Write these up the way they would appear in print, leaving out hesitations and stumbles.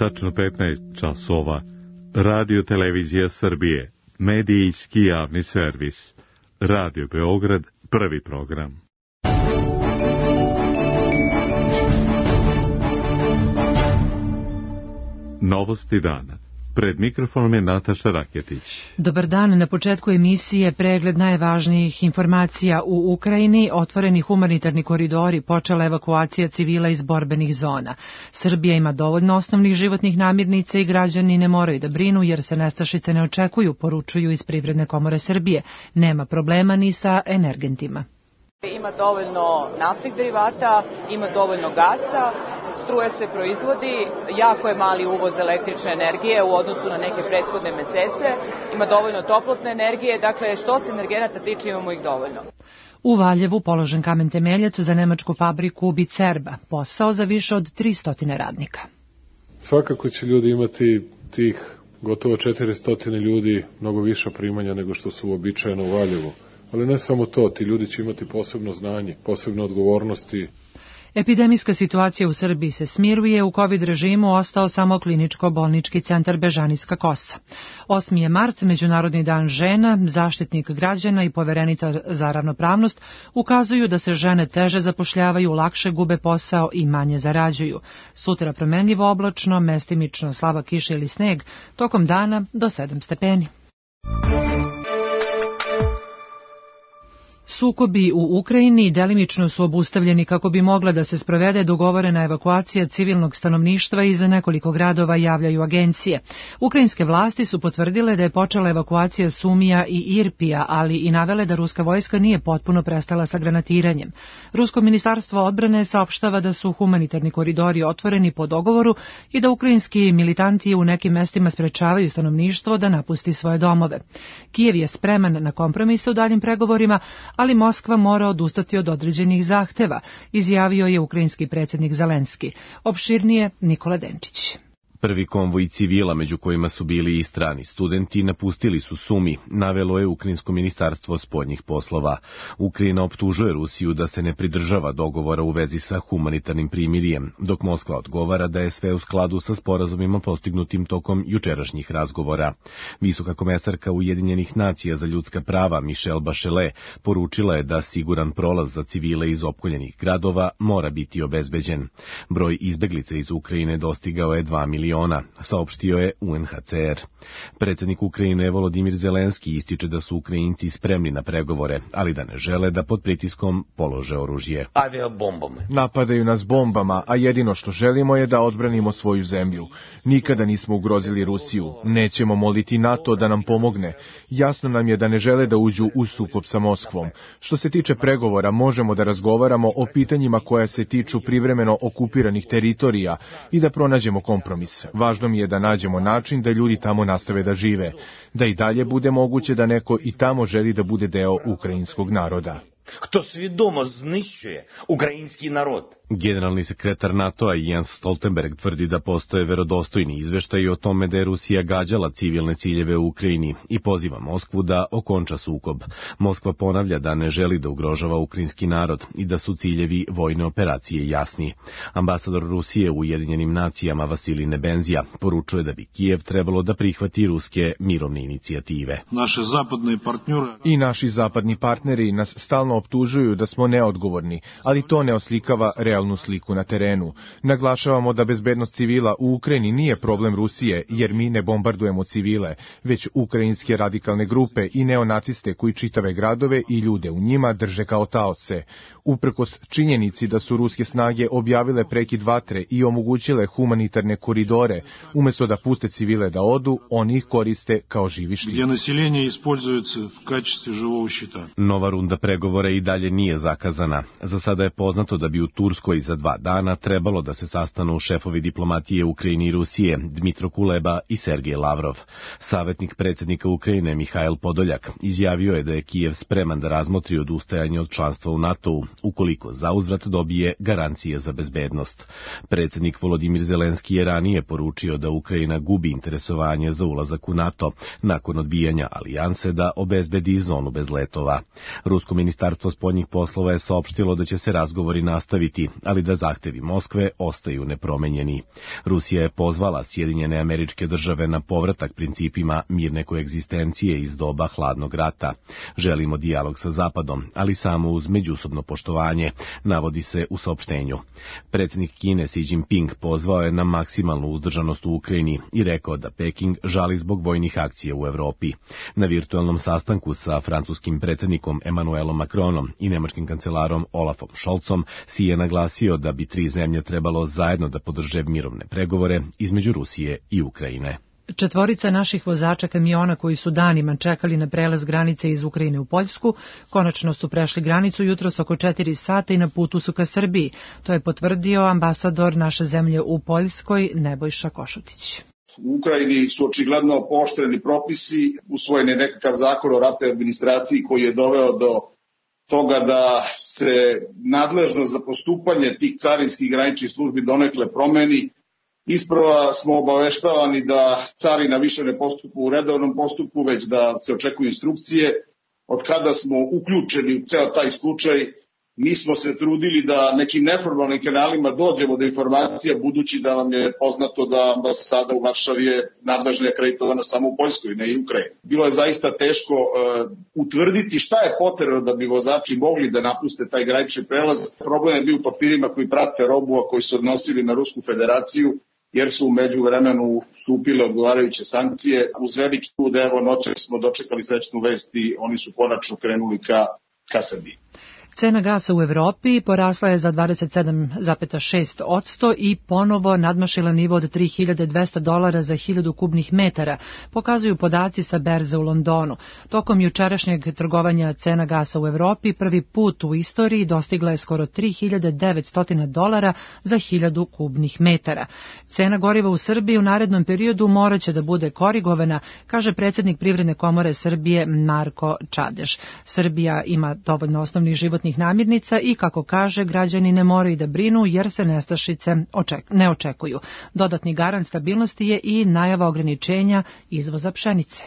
tačno 15 časova, Radio Televizija Srbije, medijski javni servis, Radio Beograd, prvi program. Novosti dana. Pred mikrofonom je Nataša Raketić. Dobar dan, na početku emisije pregled najvažnijih informacija u Ukrajini, otvoreni humanitarni koridori, počela evakuacija civila iz borbenih zona. Srbija ima dovoljno osnovnih životnih namirnica i građani ne moraju da brinu jer se nestašice ne očekuju, poručuju iz Privredne komore Srbije. Nema problema ni sa energentima. Ima dovoljno naftnih derivata, ima dovoljno gasa, struja se proizvodi, jako je mali uvoz električne energije u odnosu na neke prethodne mesece, ima dovoljno toplotne energije, dakle što se energenata tiče imamo ih dovoljno. U Valjevu položen kamen temeljac za nemačku fabriku Bicerba, posao za više od 300 radnika. Svakako će ljudi imati tih gotovo 400 ljudi mnogo više primanja nego što su uobičajeno u Valjevu. Ali ne samo to, ti ljudi će imati posebno znanje, posebne odgovornosti. Epidemijska situacija u Srbiji se smiruje, u COVID režimu ostao samo kliničko-bolnički centar Bežanijska Kosa. 8. je mart, Međunarodni dan žena, Zaštitnik građana i Poverenica za ravnopravnost ukazuju da se žene teže zapošljavaju, lakše gube posao i manje zarađuju. Sutra promenljivo oblačno, mestimično slaba kiša ili sneg, tokom dana do 7 stepeni. Sukobi u Ukrajini delimično su obustavljeni kako bi mogla da se sprovede dogovorena evakuacija civilnog stanovništva iz nekoliko gradova, javljaju agencije. Ukrajinske vlasti su potvrdile da je počela evakuacija Sumija i Irpija, ali i navele da ruska vojska nije potpuno prestala sa granatiranjem. Rusko ministarstvo odbrane saopštava da su humanitarni koridori otvoreni po dogovoru i da ukrajinski militanti u nekim mestima sprečavaju stanovništvo da napusti svoje domove. Kijev je spreman na kompromise u daljim pregovorima, ali Moskva mora odustati od određenih zahteva, izjavio je ukrajinski predsjednik Zelenski. Opširnije Nikola Denčić. Prvi konvoj civila, među kojima su bili i strani studenti, napustili su Sumi, navelo je Ukrajinsko ministarstvo spoljnih poslova. Ukrajina optužuje Rusiju da se ne pridržava dogovora u vezi sa humanitarnim primirjem, dok Moskva odgovara da je sve u skladu sa sporazumima postignutim tokom jučerašnjih razgovora. Visoka komesarka Ujedinjenih nacija za ljudska prava Michelle Bachelet poručila je da siguran prolaz za civile iz opkoljenih gradova mora biti obezbeđen. Broj izbeglica iz Ukrajine dostigao je 2 miliona, saopštio je UNHCR. Predsjednik Ukrajine Volodimir Zelenski ističe da su Ukrajinci spremni na pregovore, ali da ne žele da pod pritiskom polože oružje. Napadaju nas bombama, a jedino što želimo je da odbranimo svoju zemlju. Nikada nismo ugrozili Rusiju, nećemo moliti NATO da nam pomogne. Jasno nam je da ne žele da uđu u sukob sa Moskvom. Što se tiče pregovora, možemo da razgovaramo o pitanjima koja se tiču privremeno okupiranih teritorija i da pronađemo kompromis. Važno mi je da nađemo način da ljudi tamo nastave da žive, da i dalje bude moguće da neko i tamo želi da bude deo ukrajinskog naroda. Хто свідомо знищує український народ. Generalni sekretar NATO-a Jens Stoltenberg tvrdi da postoje verodostojni izveštaji o tome da je Rusija gađala civilne ciljeve u Ukrajini i poziva Moskvu da okonča sukob. Moskva ponavlja da ne želi da ugrožava ukrajinski narod i da su ciljevi vojne operacije jasni. Ambasador Rusije u Ujedinjenim nacijama Vasilij Nebenzija poručuje da bi Kijev trebalo da prihvati ruske mirovne inicijative. I naši zapadni partneri nas stalno optužuju da smo neodgovorni, ali to ne oslikava realnu sliku na terenu. Naglašavamo da bezbednost civila u Ukrajini nije problem Rusije, jer mi ne bombardujemo civile, već ukrajinske radikalne grupe i neonaciste koji čitave gradove i ljude u njima drže kao taoce. Uprkos činjenici da su ruske snage objavile prekid vatre i omogućile humanitarne koridore, umjesto da puste civile da odu, oni ih koriste kao živi štit. Nova runda pregovora i dalje nije zakazana. Za sada je poznato da bi u Turskoj za 2 dana trebalo da se sastanu šefovi diplomatije Ukrajine i Rusije, Dmitro Kuleba i Sergej Lavrov. Savjetnik predsjednika Ukrajine Mihail Podoljak izjavio je da je Kijev spreman da razmotri odustajanje od članstva u NATO-u, ukoliko zauzvrat dobije garancije za bezbednost. Predsjednik Volodimir Zelenski je ranije poručio da Ukrajina gubi interesovanje za ulazak u NATO, nakon odbijanja alijanse da obezbedi zonu bez letova. Rusko ministarstvo spoljnih poslova je saopštilo da će se razgovori nastaviti, ali da zahtevi Moskve ostaju nepromenjeni. Rusija je pozvala Sjedinjene Američke Države na povratak principima mirne koegzistencije iz doba hladnog rata. Želimo dijalog sa Zapadom, ali samo uz međusobno poštovanje, navodi se u saopštenju. Predsjednik Kine Xi Jinping pozvao je na maksimalnu uzdržanost u Ukrajini i rekao da Peking žali zbog vojnih akcija u Evropi. Na virtualnom sastanku sa francuskim predsjednikom Emmanuelom Macronom i nemačkim kancelarom Olafom Scholzom Xi je naglasio da bi tri zemlje trebalo zajedno da podrže mirovne pregovore između Rusije i Ukrajine. Četvorica naših vozača kamiona koji su danima čekali na prelaz granice iz Ukrajine u Poljsku, konačno su prešli granicu jutros oko 4 sata i na putu su ka Srbiji. To je potvrdio ambasador naše zemlje u Poljskoj Nebojša Košutić. U Ukrajini su očigledno pooštreni propisi, usvojen je nekakav zakon o ratnoj administraciji koji je doveo do toga da se nadležnost za postupanje tih carinskih graničnih službi donekle promeni. Isprva smo obaveštavani da carina više ne postupa u redovnom postupku, već da se očekuju instrukcije. Od kada smo uključeni u ceo taj slučaj, mi smo se trudili da nekim neformalnim kanalima dođemo do informacija, budući da vam je poznato da ambasada u Varšavi je nadležna i akreditovana samo u Poljskoj, ne i Ukrajini. Bilo je zaista teško utvrditi šta je potrebno da bi vozači mogli da napuste taj granični prelaz. Problem je bio u papirima koji prate robu, a koji su odnosili na Rusku federaciju, jer su u međuvremenu stupile odgovarajuće sankcije. Uz veliki trud, evo noćas smo dočekali srećnu vest i oni su konačno krenuli ka Srbiji. Cena gasa u Evropi porasla je za 27,6% i ponovo nadmašila nivo od $3.200 za 1000 kubnih metara, pokazuju podaci sa berze u Londonu. Tokom jučerašnjeg trgovanja cena gasa u Evropi prvi put u istoriji dostigla je skoro $3.900 za 1000 kubnih metara. Cena goriva u Srbiji u narednom periodu moraće da bude korigovana, kaže predsjednik Privredne komore Srbije Marko Čadeš. Srbija ima dovoljno osnovnih životnih namirnica i, kako kaže, građani ne moraju da brinu jer se nestašice ne očekuju. Dodatni garant stabilnosti je i najava ograničenja izvoza pšenice.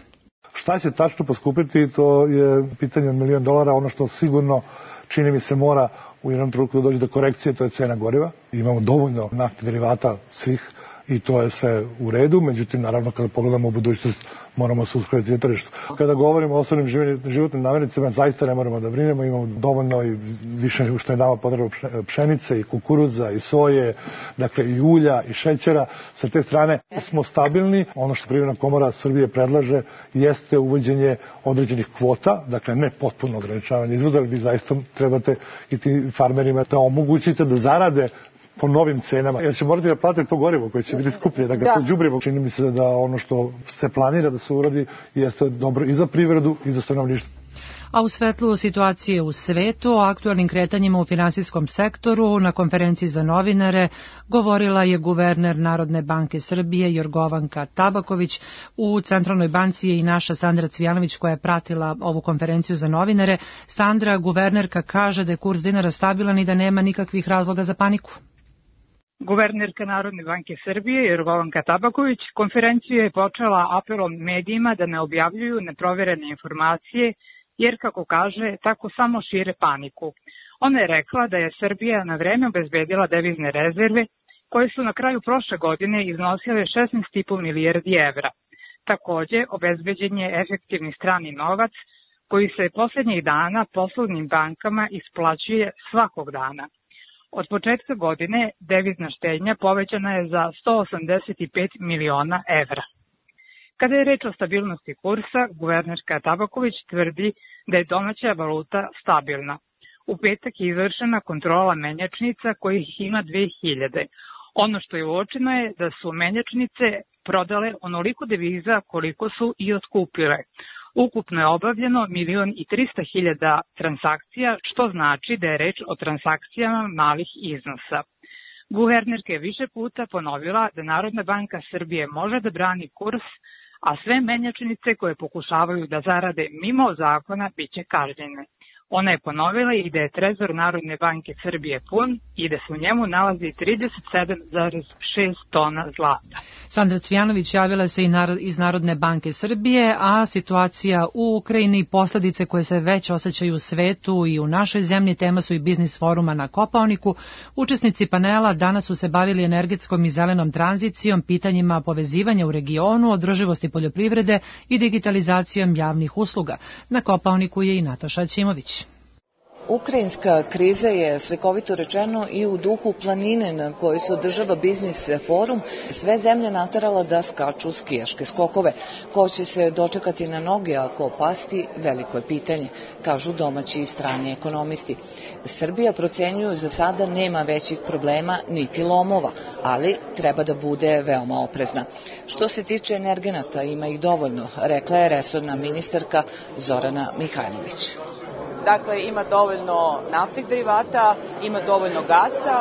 Šta će tačno poskupiti, to je pitanje od $1 milion. Ono što sigurno, čini mi se, mora u jednom trenutku doći do korekcije, to je cena goriva. Imamo dovoljno naftnih derivata svih i to je sve u redu, međutim, naravno, kada pogledamo u budućnost, moramo se uskladiti na tržištu. Kada govorimo o osnovnim životnim namirnicama, zaista ne moramo da brinemo, imamo dovoljno i više nego što je nama potrebno pšenice i kukuruza i soje, dakle i ulja i šećera. Sa te strane smo stabilni. Ono što Privredna komora Srbije predlaže jeste uvođenje određenih kvota, dakle ne potpuno ograničavanje izvoza, ali vi zaista trebate i tim farmerima da omogućite da zarade po novim cenama, jer će morati da plate to gorivo koje će biti skuplje, da ga to đubrivo. Čini mi se da ono što se planira da se uradi jeste dobro i za privredu i za stanovništvo. A u svetlu situacije u svetu, o aktualnim kretanjima u finansijskom sektoru, na konferenciji za novinare govorila je guverner Narodne banke Srbije Jorgovanka Tabaković. U Centralnoj banci je i naša Sandra Cvijanović koja je pratila ovu konferenciju za novinare. Sandra, guvernerka kaže da je kurs dinara stabilan i da nema nikakvih razloga za paniku. Guvernerka Narodne banke Srbije Jorgovanka Tabaković konferenciju je počela apelom medijima da ne objavljuju neproverene informacije, jer, kako kaže, tako samo šire paniku. Ona je rekla da je Srbija na vreme obezbedila devizne rezerve, koje su na kraju prošle godine iznosile 16,5 milijardi evra. Takođe, obezbeđen je efektivni strani novac, koji se poslednjih dana poslovnim bankama isplaćuje svakog dana. Od početka godine devizna štednja povećana je za 185 miliona evra. Kada je reč o stabilnosti kursa, guvernerka Tabaković tvrdi da je domaća valuta stabilna. U petak je izvršena kontrola menjačnica kojih ima 2000. Ono što je uočeno je da su menjačnice prodale onoliko deviza koliko su i otkupile. Ukupno je obavljeno 1.300.000 transakcija, što znači da je reč o transakcijama malih iznosa. Guvernerka je više puta ponovila da Narodna banka Srbije može da brani kurs, a sve menjačnice koje pokušavaju da zarade mimo zakona biće kažnjene. Ona je ponovila i da je trezor Narodne banke Srbije pun i da se u njemu nalazi 37,6 tona zlata. Sandra Cvjanović javila se iz Narodne banke Srbije, a situacija u Ukrajini i posledice koje se već osjećaju u svetu i u našoj zemlji tema su i biznis foruma na Kopaoniku. Učesnici panela danas su se bavili energetskom i zelenom tranzicijom, pitanjima povezivanja u regionu, održivosti poljoprivrede i digitalizacijom javnih usluga. Na Kopaoniku je i Nataša Ćimović. Ukrajinska kriza je, slikovito rečeno, i u duhu planine na kojoj se održava biznis forum sve zemlje naterala da skaču skijaške skokove. Ko će se dočekati na noge, a ko pasti, veliko je pitanje, kažu domaći i strani ekonomisti. Srbija, procenjuju, za sada nema većih problema niti lomova, ali treba da bude veoma oprezna. Što se tiče energenata, ima ih dovoljno, rekla je resorna ministarka Zorana Mihajlović. Dakle, ima dovoljno naftnih derivata, ima dovoljno gasa,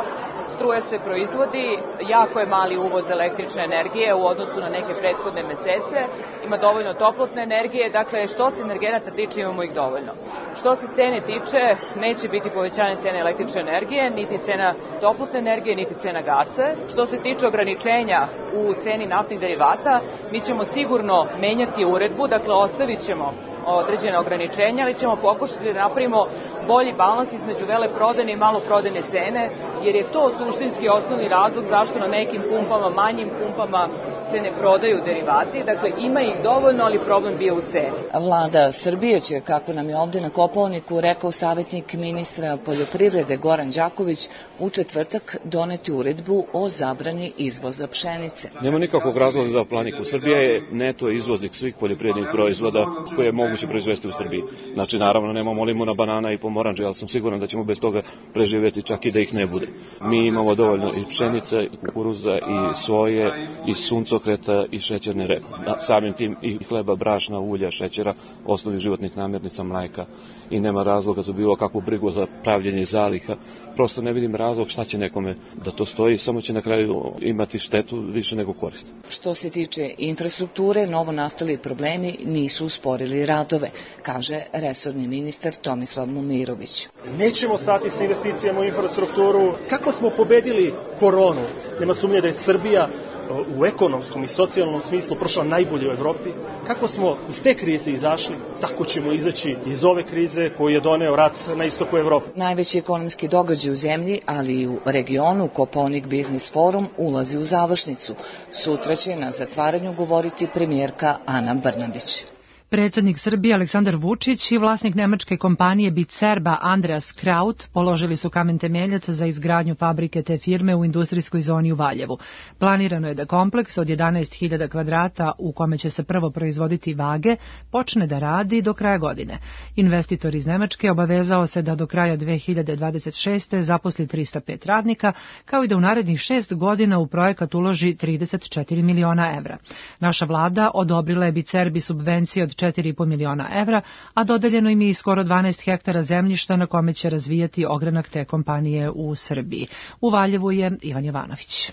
struja se proizvodi, jako je mali uvoz električne energije u odnosu na neke prethodne mesece, ima dovoljno toplotne energije, dakle što se energenata tiče imamo ih dovoljno. Što se cene tiče, neće biti povećanje cene električne energije, niti cena toplotne energije, niti cena gasa. Što se tiče ograničenja u ceni naftnih derivata, mi ćemo sigurno menjati uredbu, dakle ostavit ćemo određene ograničenja, ali ćemo pokušati da napravimo bolji balans između veleprodajne i maloprodajne cene, jer je to suštinski osnovni razlog zašto na nekim pumpama, manjim pumpama se ne prodaju derivati. Dakle, ima ih dovoljno, ali problem bio u ceni. Vlada Srbije će, kako nam je ovde na Kopaoniku rekao savjetnik ministra poljoprivrede Goran Đaković, u četvrtak doneti uredbu o zabrani izvoza pšenice. Nema nikakvog razloga za paniku. Srbija je neto izvoznik svih poljoprivrednih proizvoda koje je moguće proizvesti u Srbiji. Znači, naravno, nemamo limuna, banana i pomoranđe, ali sam siguran da ćemo bez toga preživjeti čak i da ih ne bude. Mi imamo dovoljno i pšenice, i kukuruza, i soje, i suncokreta, i šećerne repe. Samim tim i hleba, brašna, ulja, šećera, osnovnih životnih namirnica, mleka, i nema razloga za bilo kakvu brigu za pravljenje zaliha. Prosto ne vidim razlog šta će nekome da to stoji, samo će na kraju imati štetu više nego korist. Što se tiče infrastrukture, novo nastali problemi nisu usporili radove, kaže resorni ministar Tomislav Momirović. Nećemo stati sa investicijama u infrastrukturu. Kako smo pobedili koronu? Nema sumnje da je Srbija u ekonomskom i socijalnom smislu prošla najbolje u Evropi. Kako smo iz te krize izašli, tako ćemo izaći iz ove krize koju je doneo rat na istoku Evrope. Najveći ekonomski događaj u zemlji, ali i u regionu, Kopaonik Biznis Forum ulazi u završnicu. Sutra će na zatvaranju govoriti premijerka Ana Brnabić. Predsjednik Srbije Aleksandar Vučić i vlasnik nemačke kompanije Bicerba Andreas Kraut položili su kamen temeljac za izgradnju fabrike te firme u industrijskoj zoni u Valjevu. Planirano je da kompleks od 11.000 kvadrata u kome će se prvo proizvoditi vage počne da radi do kraja godine. Investitor iz Nemačke obavezao se da do kraja 2026. zaposli 305 radnika, kao i da u narednih 6 godina u projekat uloži 34 miliona evra. Naša vlada odobrila je Bicerbi subvencije od 4,5 miliona evra, a dodeljeno im je i skoro 12 hektara zemljišta na kome će razvijati ogranak te kompanije u Srbiji. U Valjevu je Ivan Jovanović.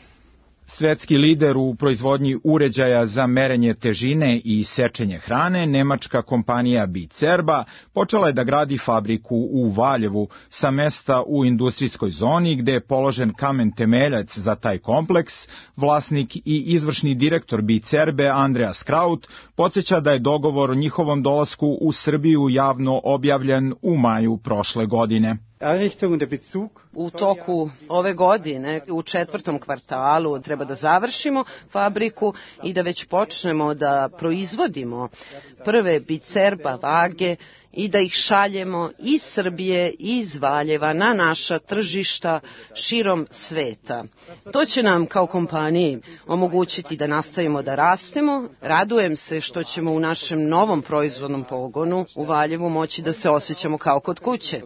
Svetski lider u proizvodnji uređaja za merenje težine i sečenje hrane, nemačka kompanija Bicerba počela je da gradi fabriku u Valjevu sa mesta u industrijskoj zoni gde je položen kamen temeljac za taj kompleks. Vlasnik i izvršni direktor Bicerbe Andreas Kraut podsjeća da je dogovor o njihovom dolasku u Srbiju javno objavljen u maju prošle godine. U toku ove godine, u 4. kvartalu, treba da završimo fabriku i da već počnemo da proizvodimo prve Bicerba vage i da ih šaljemo iz Srbije i iz Valjeva na naša tržišta širom sveta. To će nam kao kompaniji omogućiti da nastavimo da rastemo. Radujem se što ćemo u našem novom proizvodnom pogonu u Valjevu moći da se osjećamo kao kod kuće.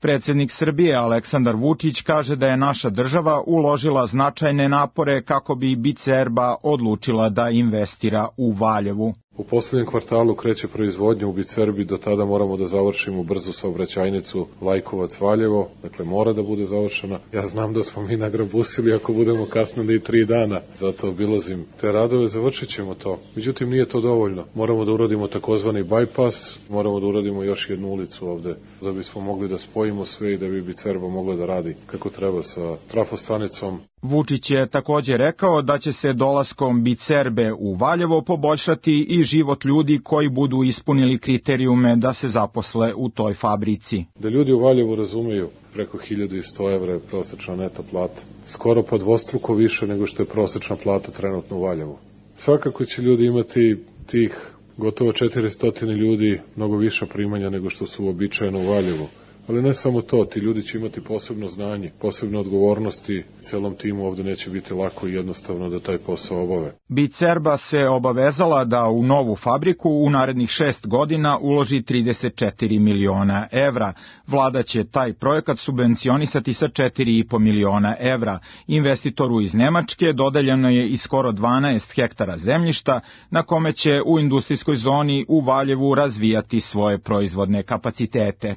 Predsjednik Srbije Aleksandar Vučić kaže da je naša država uložila značajne napore kako bi Bicerba odlučila da investira u Valjevu. U poslednjem kvartalu kreće proizvodnja u Bicerbi, do tada moramo da završimo brzu saobraćajnicu Lajkovac-Valjevo, dakle mora da bude završena. Ja znam da smo mi nagrabusili ako budemo kasnili i 3 dana, zato obilazim te radove, završit ćemo to. Međutim, nije to dovoljno. Moramo da uradimo takozvani bypass, moramo da uradimo još jednu ulicu ovde, da bismo mogli da spojimo spojimo sve i da bi Bicerba mogla da radi kako treba sa trafostanicom. Vučić je također rekao da će se dolaskom Bicerbe u Valjevo poboljšati i život ljudi koji budu ispunili kriterijume da se zaposle u toj fabrici. Da ljudi u Valjevu razumeju, preko 1100 evra je prosečna neto plata. Skoro pa dvostruko više nego što je prosečna plata trenutno u Valjevu. Svakako će ljudi imati tih gotovo 400 ljudi mnogo više primanja nego što su uobičajeno u Valjevu. Ali ne samo to, ti ljudi će imati posebno znanje, posebne odgovornosti, celom timu ovde neće biti lako i jednostavno da taj posao obave. Bicerba se obavezala da u novu fabriku u narednih 6 godina uloži 34 miliona evra. Vlada će taj projekat subvencionisati sa 4,5 miliona evra. Investitoru iz Nemačke dodeljeno je i skoro 12 hektara zemljišta na kome će u industrijskoj zoni u Valjevu razvijati svoje proizvodne kapacitete.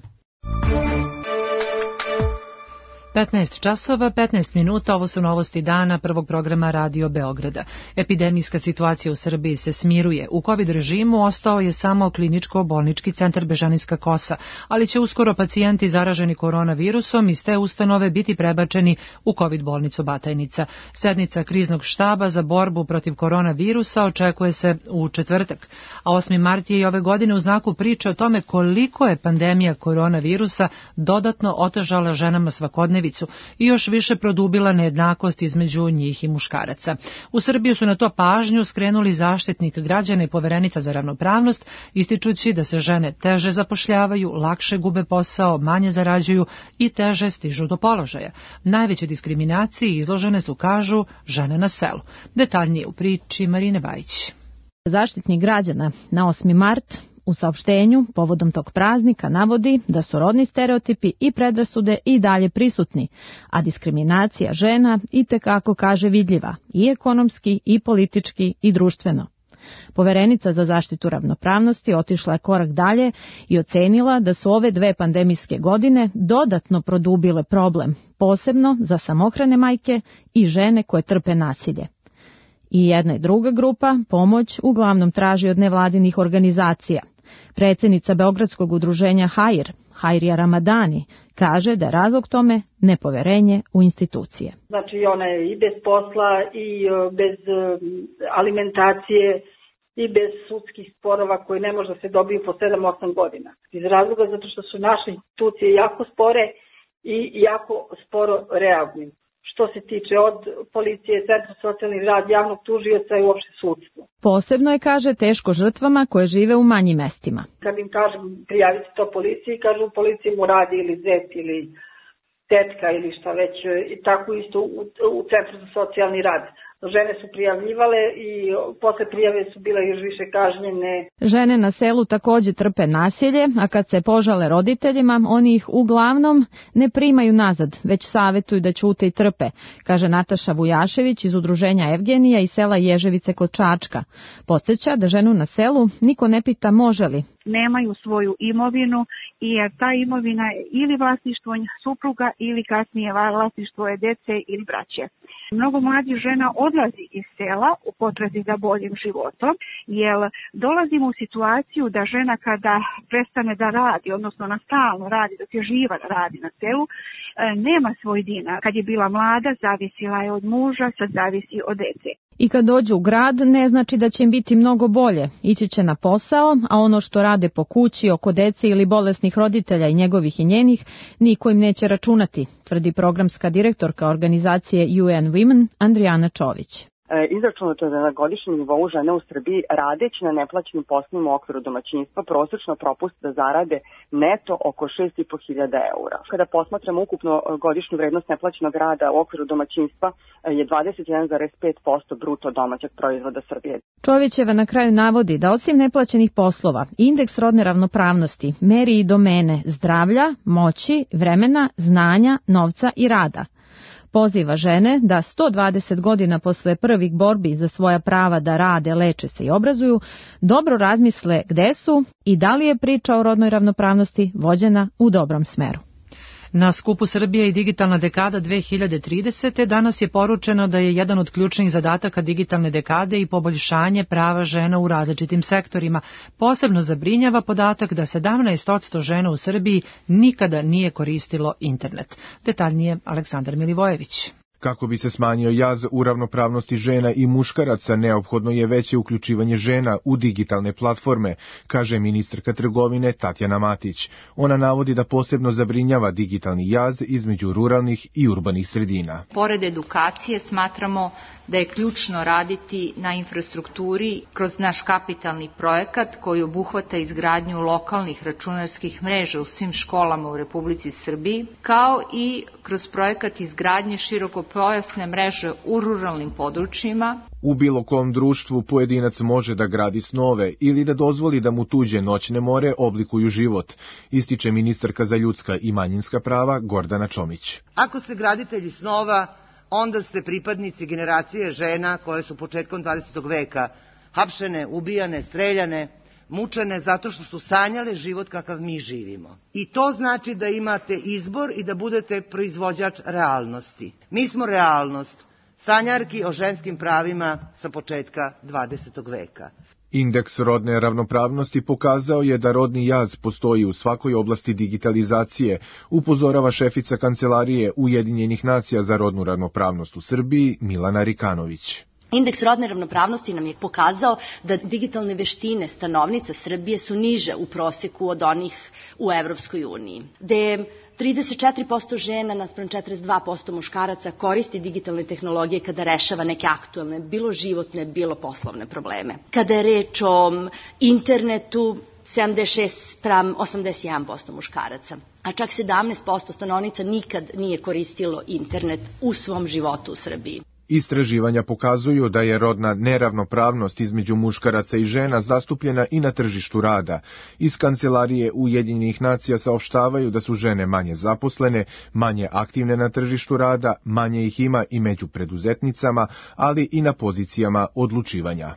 15 časova, 15 minuta, ovo su novosti dana prvog programa Radio Beograda. Epidemijska situacija u Srbiji se smiruje. U COVID režimu ostao je samo kliničko-bolnički centar Bežanijska Kosa, ali će uskoro pacijenti zaraženi koronavirusom iz te ustanove biti prebačeni u COVID bolnicu Batajnica. Sednica kriznog štaba za borbu protiv koronavirusa očekuje se u četvrtak, a 8. mart je i ove godine u znaku priče o tome koliko je pandemija koronavirusa dodatno otežala ženama svakodnevnicu i još više produbila nejednakost između njih i muškaraca. U Srbiju su na to pažnju skrenuli Zaštitnik građana i Poverenica za ravnopravnost, ističući da se žene teže zapošljavaju, lakše gube posao, manje zarađuju i teže stižu do položaja. Najveće diskriminaciji izložene su, kažu, žene na selu. Detaljnije u priči Marine Bajić. Zaštitnik građana na 8. mart u saopštenju povodom tog praznika navodi da su rodni stereotipi i predrasude i dalje prisutni, a diskriminacija žena itekako, kaže, vidljiva i ekonomski i politički i društveno. Poverenica za zaštitu ravnopravnosti otišla je korak dalje i ocenila da su ove 2 pandemijske godine dodatno produbile problem, posebno za samohrane majke i žene koje trpe nasilje. I jedna i druga grupa pomoć uglavnom traži od nevladinih organizacija. Predsjednica Beogradskog udruženja HAIR, Hajrija Ramadani, kaže da je razlog tome nepoverenje u institucije. Znači ona je i bez posla i bez alimentacije i bez sudskih sporova koji ne može da se dobiju po 7-8 godina. Iz razloga zato što su naše institucije jako spore i jako sporo reaguju. Što se tiče od policije, centra socijalni rad, javnog tužioca i uopšte sudstvo. Posebno je, kaže, teško žrtvama koje žive u manjim mestima. Kad im kažem prijaviti to policiji, kažu u policiji mu radi ili zet ili tetka ili šta već, i tako isto u centru za socijalni rad. Žene su prijavljivale i posle prijave su bile još više kažnjene. Žene na selu također trpe nasilje, a kad se požale roditeljima, oni ih uglavnom ne primaju nazad, već savjetuju da ćute i trpe, kaže Nataša Vujašević iz udruženja Evgenija iz sela Ježevice kod Čačka. Podsjeća da ženu na selu niko ne pita može li. Nemaju svoju imovinu i ta imovina je ili vlasništvo supruga ili kasnije vlasništvo je dece ili braće. Mnogo mladih žena odlazi iz sela u potrazi za boljim životom, jer dolazimo u situaciju da žena kada prestane da radi, odnosno na stalno radi, dok je živa radi na selu, nema svoj dinar. Kad je bila mlada, zavisila je od muža, sad zavisi od dece. I kad dođu u grad, ne znači da će im biti mnogo bolje. Ići će na posao, a ono što rade po kući, oko dece ili bolesnih roditelja i njegovih i njenih, niko im neće računati, tvrdi programska direktorka organizacije UN Women Andrijana Čović. Izračunato je da na godišnjem nivou žene u Srbiji radeći na neplaćenim poslovima u okviru domaćinstva prosečno propuste da zarade neto oko 6.500 eura. Kada posmatramo ukupno godišnju vrednost neplaćenog rada u okviru domaćinstva je 21,5% bruto domaćeg proizvoda Srbije. Čovićeva na kraju navodi da osim neplaćenih poslova, indeks rodne ravnopravnosti meri i domene zdravlja, moći, vremena, znanja, novca i rada. Poziva žene da 120 godina posle prvih borbi za svoja prava da rade, leče se i obrazuju, dobro razmisle gde su i da li je priča o rodnoj ravnopravnosti vođena u dobrom smeru. Na skupu Srbije i digitalna dekada 2030. danas je poručeno da je jedan od ključnih zadataka digitalne dekade i poboljšanje prava žena u različitim sektorima. Posebno zabrinjava podatak da 17% žena u Srbiji nikada nije koristilo internet. Detaljnije Aleksandar Milivojević. Kako bi se smanjio jaz u ravnopravnosti žena i muškaraca, neophodno je veće uključivanje žena u digitalne platforme, kaže ministarka trgovine Tatjana Matić. Ona navodi da posebno zabrinjava digitalni jaz između ruralnih i urbanih sredina. Pored edukacije smatramo da je ključno raditi na infrastrukturi kroz naš kapitalni projekat koji obuhvata izgradnju lokalnih računarskih mreža u svim školama u Republici Srbiji, kao i kroz projekat izgradnje širokopojasne mreže u ruralnim područjima. U bilo kom društvu pojedinac može da gradi snove ili da dozvoli da mu tuđe noćne more oblikuju život, ističe ministarka za ljudska i manjinska prava Gordana Čomić. Ako ste graditelji snova, onda ste pripadnici generacije žena koje su početkom 20. veka hapšene, ubijane, streljane, mučene zato što su sanjale život kakav mi živimo. I to znači da imate izbor i da budete proizvođač realnosti. Mi smo realnost, sanjarki o ženskim pravima sa početka 20. veka. Indeks rodne ravnopravnosti pokazao je da rodni jaz postoji u svakoj oblasti digitalizacije, upozorava šefica Kancelarije Ujedinjenih nacija za rodnu ravnopravnost u Srbiji Milana Rikanović. Indeks rodne ravnopravnosti nam je pokazao da digitalne veštine stanovnica Srbije su niže u proseku od onih u Evropskoj uniji, gde 34% žena naspram 42% muškaraca koristi digitalne tehnologije kada rešava neke aktuelne, bilo životne, bilo poslovne probleme. Kada je reč o internetu, 76:81% muškaraca, a čak 17% stanovnica nikad nije koristilo internet u svom životu u Srbiji. Istraživanja pokazuju da je rodna neravnopravnost između muškaraca i žena zastupljena i na tržištu rada. Iz Kancelarije Ujedinjenih nacija saopštavaju da su žene manje zaposlene, manje aktivne na tržištu rada, manje ih ima i među preduzetnicama, ali i na pozicijama odlučivanja.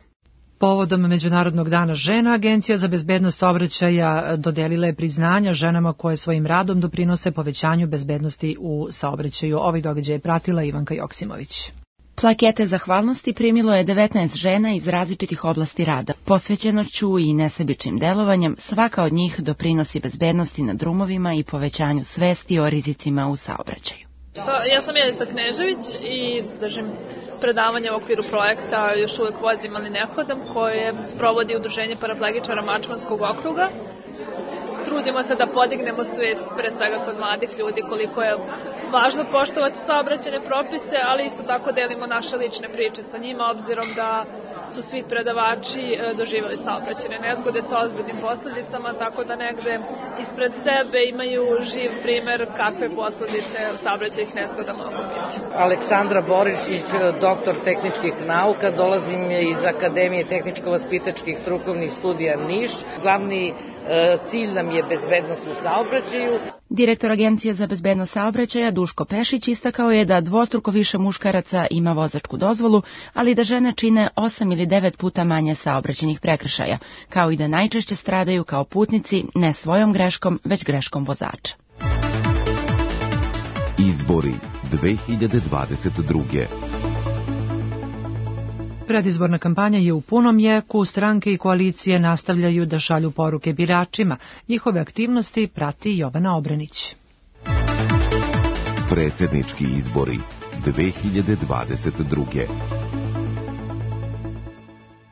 Povodom Međunarodnog dana žena, Agencija za bezbednost saobraćaja dodelila je priznanja ženama koje svojim radom doprinose povećanju bezbednosti u saobraćaju. Ovaj događaj je pratila Ivanka Joksimović. Plakete zahvalnosti primilo je 19 žena iz različitih oblasti rada. Posvećenošću i nesebičnim delovanjem svaka od njih doprinosi bezbednosti na drumovima i povećanju svesti o rizicima u saobraćaju. Ja sam Jelica Knežević i držim predavanje u okviru projekta Još uvek vozim ali ne hodam, koje sprovodi Udruženje paraplegičara Mačvanskog okruga. Trudimo se da podignemo svest pre svega kod mladih ljudi koliko je važno poštovati saobraćajne propise, ali isto tako delimo naše lične priče sa njima, obzirom da su svi predavači doživjeli saobraćajne nezgode sa ozbiljnim posledicama, tako da negde ispred sebe imaju živ primer kakve posledice saobraćajnih nezgoda mogu biti. Aleksandra Borišić, doktor tehničkih nauka, dolazim iz Akademije tehničko-vaspitačkih strukovnih studija Niš. Glavni cilj nam je bezbednost u saobraćaju. Direktor Agencije za bezbednost saobraćaja Duško Pešić istakao je da dvostruko više muškaraca ima vozačku dozvolu, ali da žene čine 8 ili 9 puta manje saobraćajnih prekršaja, kao i da najčešće stradaju kao putnici ne svojom greškom, već greškom vozača. Izbori 2022. Predizborna kampanja je u punom jeku, stranke i koalicije nastavljaju da šalju poruke biračima. Njihove aktivnosti prati Jovana Obrenić. Predsjednički izbori 2022.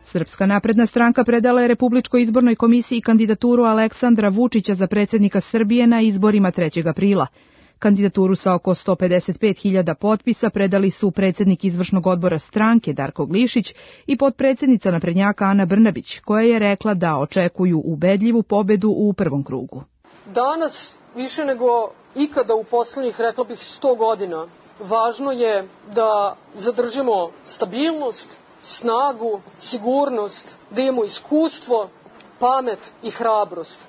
Srpska napredna stranka predala je Republičkoj izbornoj komisiji kandidaturu Aleksandra Vučića za predsjednika Srbije na izborima 3. aprila. Kandidaturu sa oko 155.000 potpisa predali su predsjednik izvršnog odbora stranke Darko Glišić i potpredsjednica naprednjaka Ana Brnabić, koja je rekla da očekuju ubedljivu pobedu u prvom krugu. Danas, više nego ikada u poslednjih, rekla bih, 100 godina, važno je da zadržimo stabilnost, snagu, sigurnost, da imamo iskustvo, pamet i hrabrost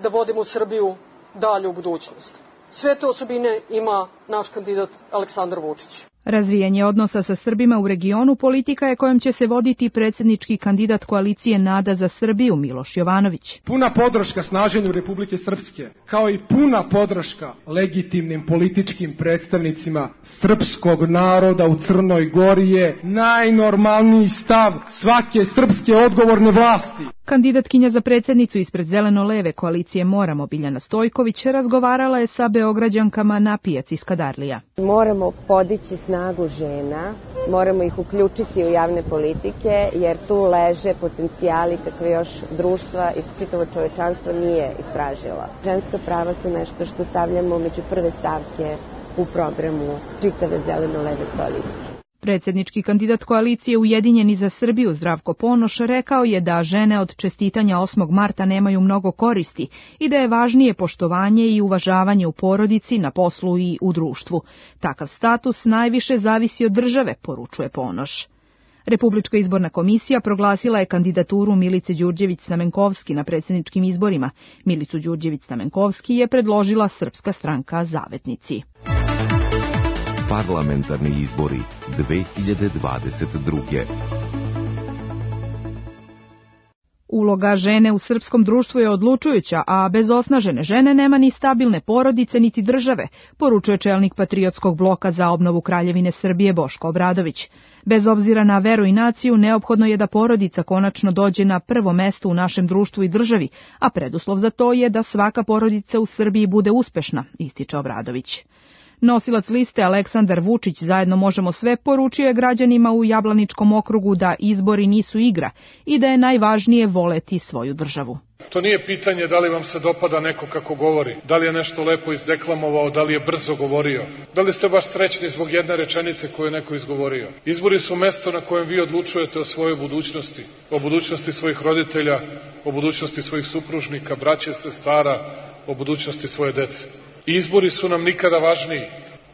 da vodimo Srbiju dalje u budućnost. Sve te osobine ima naš kandidat Aleksandar Vučić. Razvijanje odnosa sa Srbima u regionu politika je kojom će se voditi predsjednički kandidat koalicije Nada za Srbiju Miloš Jovanović. Puna podrška snaženju Republike Srpske, kao i puna podrška legitimnim političkim predstavnicima srpskog naroda u Crnoj Gori je najnormalniji stav svake srpske odgovorne vlasti. Kandidatkinja za predsjednicu ispred zeleno-leve koalicije Moramo Biljana Stojković razgovarala je sa Beograđankama na pijaci Skadarlija. Moramo podići snagu žena, moramo ih uključiti u javne politike jer tu leže potencijali kakve još društva i čitavo čovečanstvo nije istražilo. Ženska prava su nešto što stavljamo među prve stavke u programu čitave zeleno-leve koalicije. Predsjednički kandidat koalicije Ujedinjeni za Srbiju Zdravko Ponoš rekao je da žene od čestitanja 8. marta nemaju mnogo koristi i da je važnije poštovanje i uvažavanje u porodici, na poslu i u društvu. Takav status najviše zavisi od države, poručuje Ponoš. Republička izborna komisija proglasila je kandidaturu Milice Đurđević-Stamenkovski na predsjedničkim izborima. Milicu Đurđević-Stamenkovski je predložila Srpska stranka Zavetnici. Parlamentarni izbori 2022. Uloga žene u srpskom društvu je odlučujuća, a bez osnažene žene nema ni stabilne porodice niti države, poručuje čelnik Patriotskog bloka za obnovu Kraljevine Srbije Boško Obradović. Bez obzira na veru i naciju, neophodno je da porodica konačno dođe na prvo mesto u našem društvu i državi, a preduslov za to je da svaka porodica u Srbiji bude uspešna, ističe Obradović. Nosilac liste Aleksandar Vučić Zajedno možemo sve poručio je građanima u Jablaničkom okrugu da izbori nisu igra i da je najvažnije voleti svoju državu. To nije pitanje da li vam se dopada neko kako govori, da li je nešto lepo izdeklamovao, da li je brzo govorio, da li ste baš srećni zbog jedne rečenice koju je neko izgovorio. Izbori su mesto na kojem vi odlučujete o svojoj budućnosti, o budućnosti svojih roditelja, o budućnosti svojih supružnika, braće, sestara, o budućnosti svoje dece. Izbori su nam nikada važniji,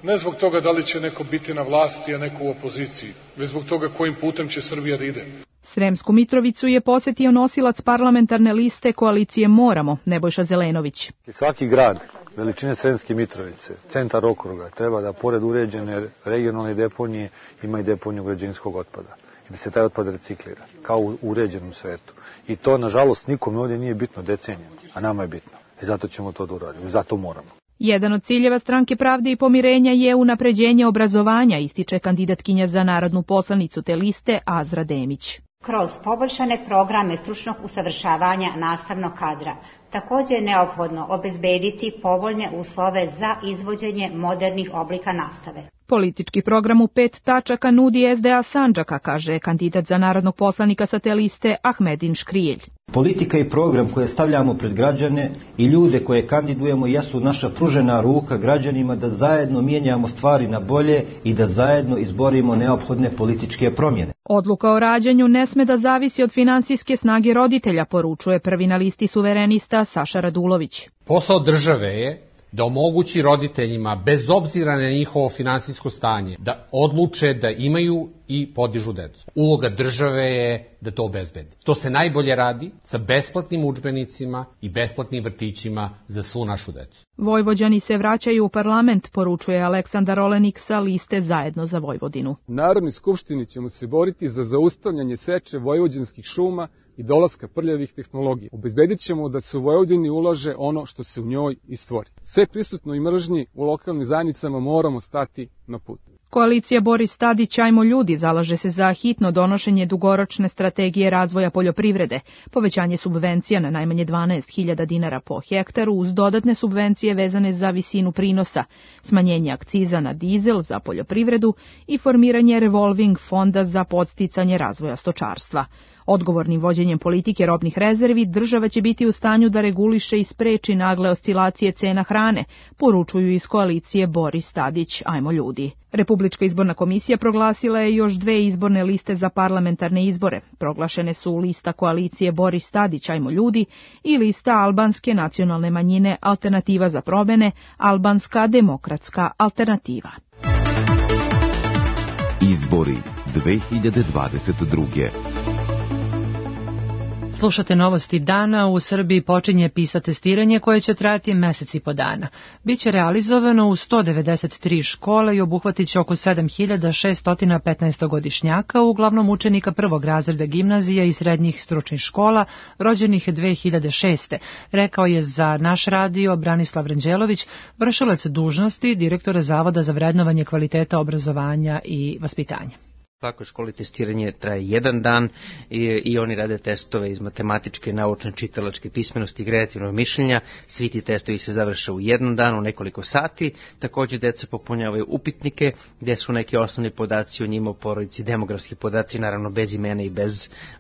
ne zbog toga da li će neko biti na vlasti, a neko u opoziciji, već zbog toga kojim putem će Srbija da ide. Sremsku Mitrovicu je posjetio nosilac parlamentarne liste koalicije Moramo, Nebojša Zelenović. Svaki grad veličine Sremske Mitrovice, centar okruga, treba da pored uređene regionalne deponije ima i deponiju građevinskog otpada i da se taj otpad reciklira, kao u uređenom svetu. I to, nažalost, nikome ovdje nije bitno decenijama, a nama je bitno. I zato ćemo to da uradimo, zato moramo. Jedan od ciljeva Stranke pravde i pomirenja je unapređenje obrazovanja, ističe kandidatkinja za narodnu poslanicu te liste Azra Demić. Kroz poboljšane programe stručnog usavršavanja nastavnog kadra, također je neophodno obezbediti povoljne uslove za izvođenje modernih oblika nastave. Politički program u 5 tačaka nudi SDA Sandžaka, kaže kandidat za narodnog poslanika sa te liste Ahmedin Škrijelj. Politika i program koje stavljamo pred građane i ljude koje kandidujemo jesu naša pružena ruka građanima da zajedno mijenjamo stvari na bolje i da zajedno izborimo neophodne političke promjene. Odluka o rađanju ne sme da zavisi od finansijske snage roditelja, poručuje prvi na listi suverenista Saša Radulović. Posao države je da omogući roditeljima, bez obzira na njihovo finansijsko stanje, da odluče da imaju i podižu decu. Uloga države je da to obezbedi. To se najbolje radi sa besplatnim udžbenicima i besplatnim vrtićima za svu našu decu. Vojvođani se vraćaju u parlament, poručuje Aleksandar Olenik sa liste Zajedno za Vojvodinu. U Narodnoj skupštini ćemo se boriti za zaustavljanje seče vojvođanskih šuma i dolaska prljavih tehnologija. Obezbedit ćemo da se u Vojvodini ulaže ono što se u njoj i stvori. Sve prisutno i mržnji u lokalnim zajednicama moramo stati na put. Koalicija Boris Tadić Ajmo ljudi zalaže se za hitno donošenje dugoročne strategije razvoja poljoprivrede, povećanje subvencija na najmanje 12.000 dinara po hektaru uz dodatne subvencije vezane za visinu prinosa, smanjenje akciza na dizel za poljoprivredu i formiranje revolving fonda za podsticanje razvoja stočarstva. Odgovornim vođenjem politike robnih rezervi država će biti u stanju da reguliše i spreči nagle oscilacije cena hrane, poručuju iz koalicije Boris Tadić Ajmo ljudi. Republička izborna komisija proglasila je još 2 izborne liste za parlamentarne izbore. Proglašene su lista koalicije Boris Tadić Ajmo ljudi i lista albanske nacionalne manjine Alternativa za promjene, Albanska demokratska alternativa. Izbori 2022. Slušate novosti dana. U Srbiji počinje PISA testiranje koje će trajati mesec i po dana. Biće realizovano u 193 škole i obuhvatit će oko 7615 godišnjaka, uglavnom učenika prvog razreda gimnazija i srednjih stručnih škola, rođenih 2006. Rekao je za naš radio Branislav Ranđelović, vršilac dužnosti direktora Zavoda za vrednovanje kvaliteta obrazovanja i vaspitanja. U svakoj školi testiranje traje jedan dan i oni rade testove iz matematičke, naučne, čitalačke pismenosti i kreativnog mišljenja. Svi ti testovi se završe u jednom danu, nekoliko sati. Također deca popunjavaju upitnike gdje su neki osnovni podaci o njima, o porodici, demografski podaci, naravno bez imena i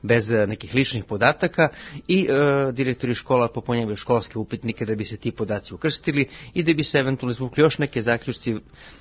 bez nekih ličnih podataka. I direktori škola popunjavaju školske upitnike da bi se ti podaci ukrstili i da bi se eventualno izvukli još neke zaključci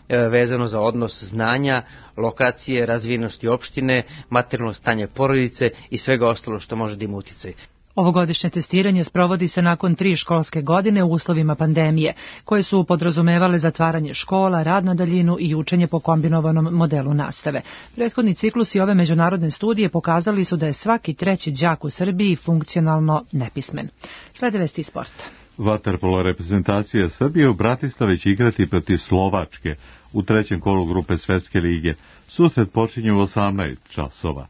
vezano za odnos znanja, lokacije, razvijenosti opštine, materijalnog stanja porodice i svega ostalo što može da ima uticaj. Ovogodišnje testiranje sprovodi se nakon 3 školske godine u uslovima pandemije, koje su podrazumevale zatvaranje škola, rad na daljinu i učenje po kombinovanom modelu nastave. Prethodni ciklus i ove međunarodne studije pokazali su da je svaki treći đak u Srbiji funkcionalno nepismen. Slede vesti iz sporta. Vaterpolo reprezentacija Srbije u Bratislavi će igrati protiv Slovačke u trećem kolu grupe Svetske lige. Susret počinje u 18 časova.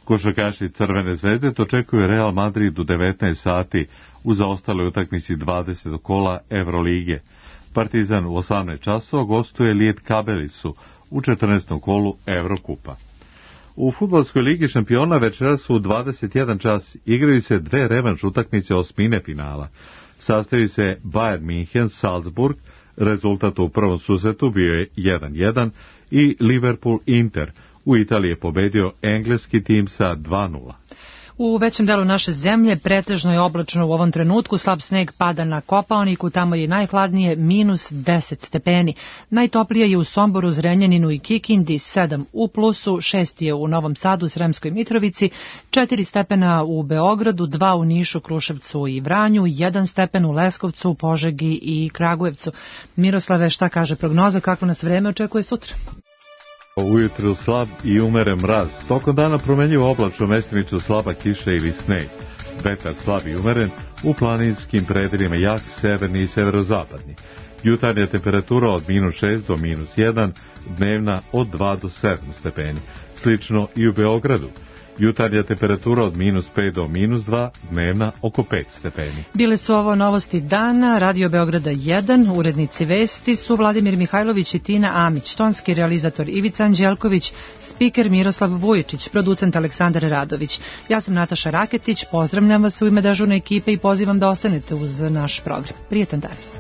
Košarkaši Crvene zvezde očekuju Real Madrid u 19 sati u zaostaloj utakmici 20. kola Evrolige. Partizan u 18 časova gostuje Lijet Kabelisu u 14. kolu Evrokupa. U fudbalskoj ligi šampiona večeras u 21 čas igraju se 2 revanš utakmice osmine finala. Sastavi se Bayern München Salzburg, rezultat u prvom susretu bio je 1:1 i Liverpool Inter. U Italiji je pobedio engleski tim sa 2:0. U većem delu naše zemlje pretežno je oblačno u ovom trenutku, slab sneg pada na Kopaoniku, tamo je najhladnije -10 stepeni. Najtoplije je u Somboru, Zrenjaninu i Kikindi, 7 u plusu, 6 je u Novom Sadu, Sremskoj Mitrovici, 4 stepena u Beogradu, 2 u Nišu, Kruševcu i Vranju, 1 stepen u Leskovcu, Požegi i Kragujevcu. Miroslave, šta kaže prognoza, kakvo nas vreme očekuje sutra? Ujutru slab i umeren mraz. Tokom dana promenljivo oblačno, mestimično slaba kiša ili sneg. Vetar slab i umeren, u planinskim predelima jak severni i severozapadni. Jutarnja temperatura od -6 do -1, dnevna od 2 do 7 stepeni. Slično i u Beogradu. Jutarnja temperatura od -5 do -2, dnevna oko 5 stepeni. Bile su ovo novosti dana, Radio Beograda 1, urednici vesti su Vladimir Mihajlović i Tina Amić, tonski realizator Ivica Anđelković, spiker Miroslav Vujičić, producent Aleksandar Radović. Ja sam Nataša Raketić, pozdravljam vas u ime dežurne ekipe i pozivam da ostanete uz naš program. Prijetan dan.